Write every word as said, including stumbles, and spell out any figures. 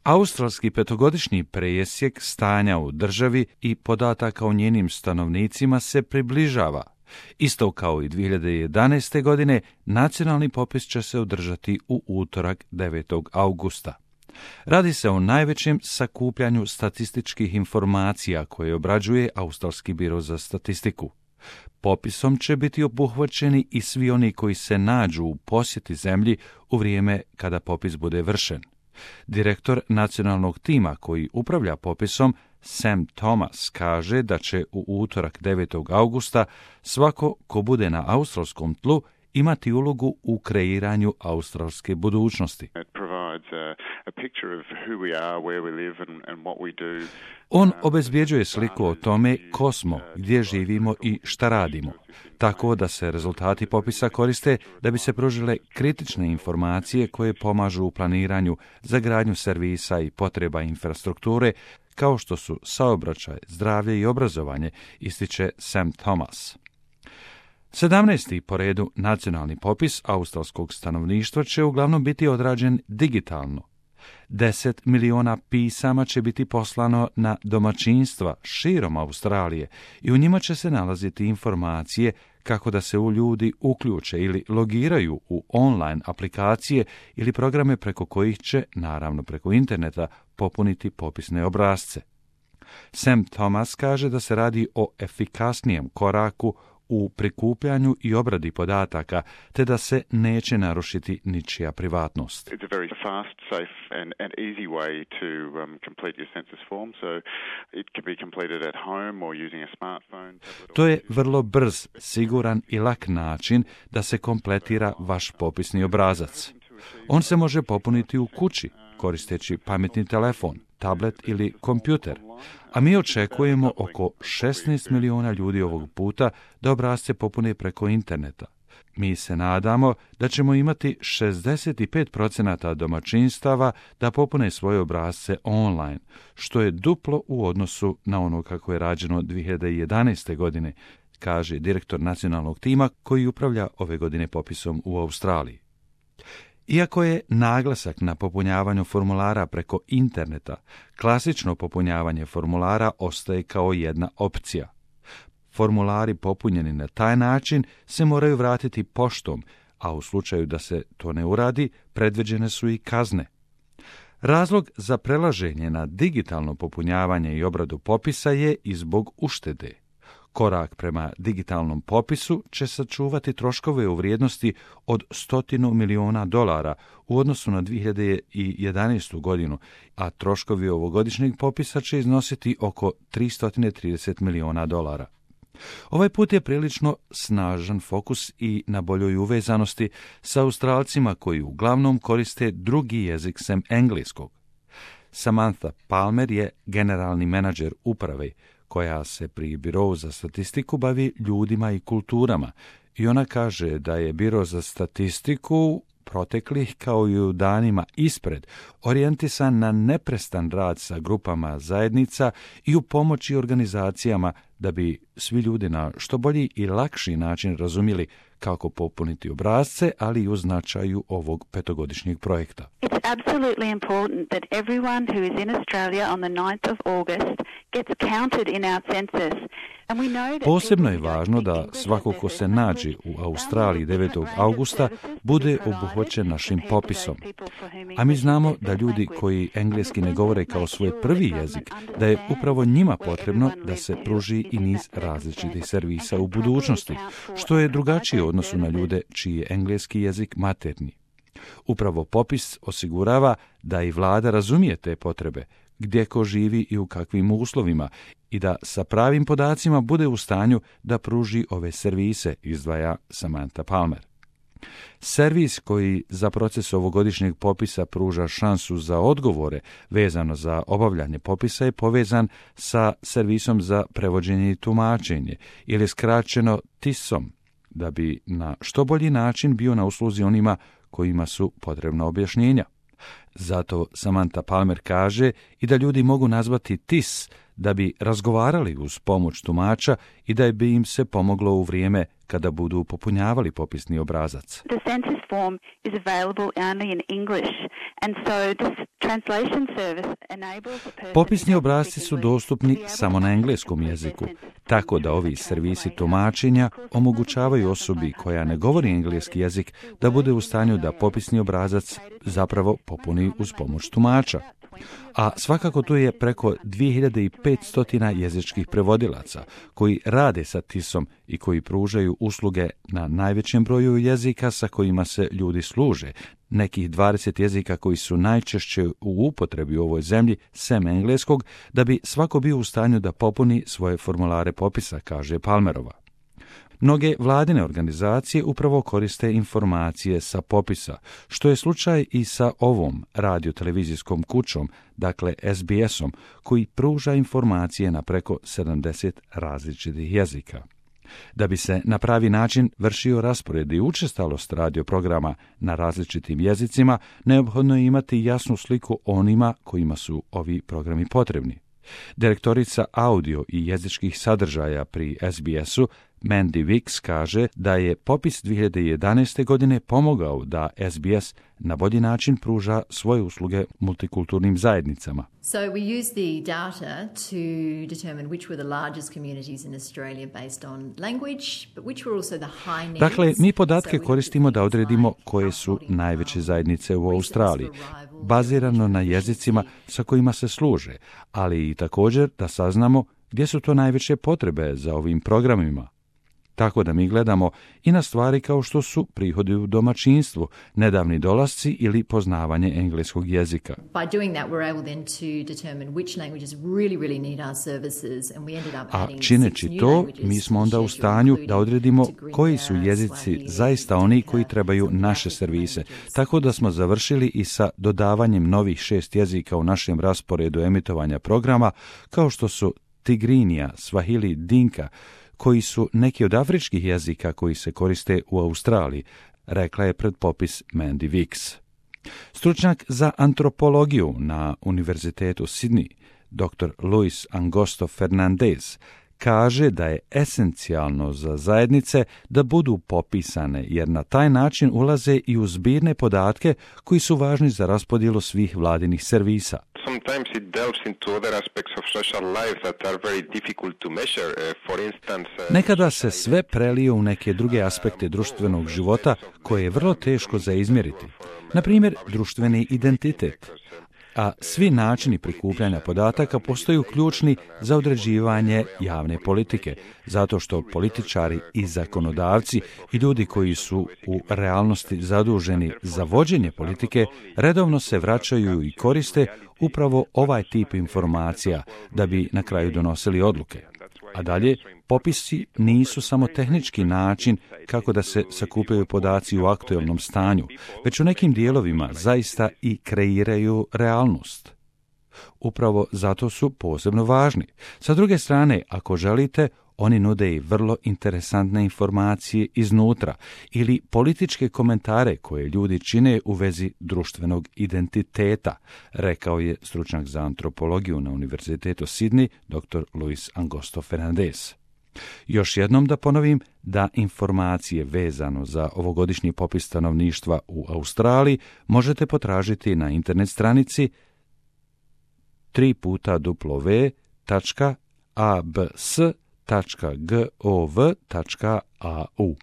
Australski petogodišnji presjek stanja u državi i podataka o njenim stanovnicima se približava. Isto kao i dvije hiljade jedanaeste. godine, nacionalni popis će se održati u utorak devetog augusta. Radi se o najvećem sakupljanju statističkih informacija koje obrađuje Australski biro za statistiku. Popisom će biti obuhvaćeni i svi oni koji se nađu u posjeti zemlji u vrijeme kada popis bude vršen. Direktor nacionalnog tima koji upravlja popisom, Sam Thomas, kaže da će u utorak devetog augusta svako ko bude na australskom tlu imati ulogu u kreiranju australske budućnosti. On obezbjeđuje sliku o tome ko smo, gdje živimo i šta radimo, tako da se rezultati popisa koriste da bi se pružile kritične informacije koje pomažu u planiranju za gradnju servisa i potreba infrastrukture, kao što su saobraćaj, zdravlje i obrazovanje, ističe Sam Thomas. sedamnaesti po redu nacionalni popis australskog stanovništva će uglavnom biti odrađen digitalno. deset miliona pisama će biti poslano na domaćinstva širom Australije i u njima će se nalaziti informacije kako da se u ljudi uključe ili logiraju u online aplikacije ili programe preko kojih će, naravno preko interneta, popuniti popisne obrasce. Sam Thomas kaže da se radi o efikasnijem koraku u prikupljanju i obradi podataka, te da se neće narušiti ničija privatnost. To je vrlo brz, siguran i lak način da se kompletira vaš popisni obrazac. On se može popuniti u kući, koristeći pametni telefon, tablet ili kompjuter, a mi očekujemo oko šesnaest miliona ljudi ovog puta da obrasce popune preko interneta. Mi se nadamo da ćemo imati šezdeset pet posto domaćinstava da popune svoje obrasce online, što je duplo u odnosu na ono kako je rađeno dvije hiljade jedanaeste. godine, kaže direktor nacionalnog tima koji upravlja ove godine popisom u Australiji. Iako je naglasak na popunjavanju formulara preko interneta, klasično popunjavanje formulara ostaje kao jedna opcija. Formulari popunjeni na taj način se moraju vratiti poštom, a u slučaju da se to ne uradi, predviđene su i kazne. Razlog za prelaženje na digitalno popunjavanje i obradu popisa je i zbog uštede. Korak prema digitalnom popisu će sačuvati troškove u vrijednosti od stotinu miliona dolara u odnosu na dvije hiljade jedanaestu. godinu, a troškovi ovogodišnjeg popisa će iznositi oko tristo trideset miliona dolara. Ovaj put je prilično snažan fokus i na boljoj uvezanosti sa Australcima koji uglavnom koriste drugi jezik sem engleskog. Samantha Palmer je generalni menadžer uprave koja se pri Birovu za statistiku bavi ljudima i kulturama, i ona kaže da je Biro za statistiku proteklih kao i u danima ispred orijentisan na neprestan rad sa grupama zajednica i u pomoći organizacijama da bi svi ljudi na što bolji i lakši način razumjeli kako popuniti obrasce, ali i u značaju ovog petogodišnjeg projekta. It's absolutely important that everyone who is in Australia on the ninth of August gets counted in our census. Posebno je važno da svako ko se nađe u Australiji devetog augusta bude obuhvaćen našim popisom. A mi znamo da ljudi koji engleski ne govore kao svoj prvi jezik, da je upravo njima potrebno da se pruži i niz različitih servisa u budućnosti, što je drugačije u odnosu na ljude čiji je engleski jezik maternji. Upravo popis osigurava da i vlada razumije te potrebe, gdje ko živi i u kakvim uslovima, i da sa pravim podacima bude u stanju da pruži ove servise, izdvaja Samantha Palmer. Servis koji za proces ovogodišnjeg popisa pruža šansu za odgovore vezano za obavljanje popisa je povezan sa servisom za prevođenje i tumačenje, ili skraćeno T I S-om, da bi na što bolji način bio na usluzi onima kojima su potrebna objašnjenja. Zato Samantha Palmer kaže i da ljudi mogu nazvati T I S da bi razgovarali uz pomoć tumača i da bi im se pomoglo u vrijeme kada budu popunjavali popisni obrazac. The census form is available only in English, and so this translation service enables a person... Popisni obrasci su dostupni samo na engleskom jeziku, tako da ovi servisi tumačenja omogućavaju osobi koja ne govori engleski jezik da bude u stanju da popisni obrazac zapravo popuni uz pomoć tumača. A svakako tu je preko dvije hiljade petsto jezičkih prevodilaca koji rade sa tisom i koji pružaju usluge na najvećem broju jezika sa kojima se ljudi služe, nekih dvadeset jezika koji su najčešće u upotrebi u ovoj zemlji, sem engleskog, da bi svako bio u stanju da popuni svoje formulare popisa, kaže Palmerova. Mnoge vladine organizacije upravo koriste informacije sa popisa, što je slučaj i sa ovom radiotelevizijskom kućom, dakle S B S-om, koji pruža informacije na preko sedamdeset različitih jezika. Da bi se na pravi način vršio raspored i učestalost radioprograma na različitim jezicima, neophodno je imati jasnu sliku onima kojima su ovi programi potrebni. Direktorica audio i jezičkih sadržaja pri S B S-u, Mandy Wicks, kaže da je popis dvije hiljade jedanaeste. godine pomogao da S B S na bolji način pruža svoje usluge multikulturnim zajednicama. So we use the data to determine which were the largest communities in Australia based on language, but which were also the high needs. Dakle, mi podatke koristimo da odredimo koje su najveće zajednice u Australiji, bazirano na jezicima sa kojima se služe, ali i također da saznamo gdje su to najveće potrebe za ovim programima. Tako da mi gledamo i na stvari kao što su prihodi u domaćinstvu, nedavni dolasci ili poznavanje engleskog jezika. A čineći to, mi smo onda u stanju da odredimo koji su jezici zaista oni koji trebaju naše servise, tako da smo završili i sa dodavanjem novih šest jezika u našem rasporedu emitovanja programa, kao što su Tigrinja, Swahili, Dinka, koji su neki od afričkih jezika koji se koriste u Australiji, rekla je pred popis Mandy Wicks. Stručnjak za antropologiju na Univerzitetu Sydney, doktor Luis Angosto Fernandez, kaže da je esencijalno za zajednice da budu popisane, jer na taj način ulaze i u zbirne podatke koji su važni za raspodjelu svih vladinih servisa. Sometimes it delves into other aspects of social life that are very difficult to measure. Uh, for instance, uh, Nekada se sve prelije u neke druge aspekte društvenog života koje je vrlo teško za izmjeriti. Na primjer, društveni identitet. A svi načini prikupljanja podataka postaju ključni za određivanje javne politike, zato što političari i zakonodavci i ljudi koji su u realnosti zaduženi za vođenje politike redovno se vraćaju i koriste upravo ovaj tip informacija da bi na kraju donosili odluke. A dalje, popisi nisu samo tehnički način kako da se sakupljaju podaci u aktualnom stanju, već u nekim dijelovima zaista i kreiraju realnost. Upravo zato su posebno važni. Sa druge strane, ako želite, oni nude i vrlo interesantne informacije iznutra ili političke komentare koje ljudi čine u vezi društvenog identiteta, rekao je stručnjak za antropologiju na Univerzitetu Sydney, doktor Luis Angosto Fernandez. Još jednom da ponovim da informacije vezano za ovogodišnji popis stanovništva u Australiji možete potražiti na internet stranici tri puta w tačka a b s tačka gov tačka a u.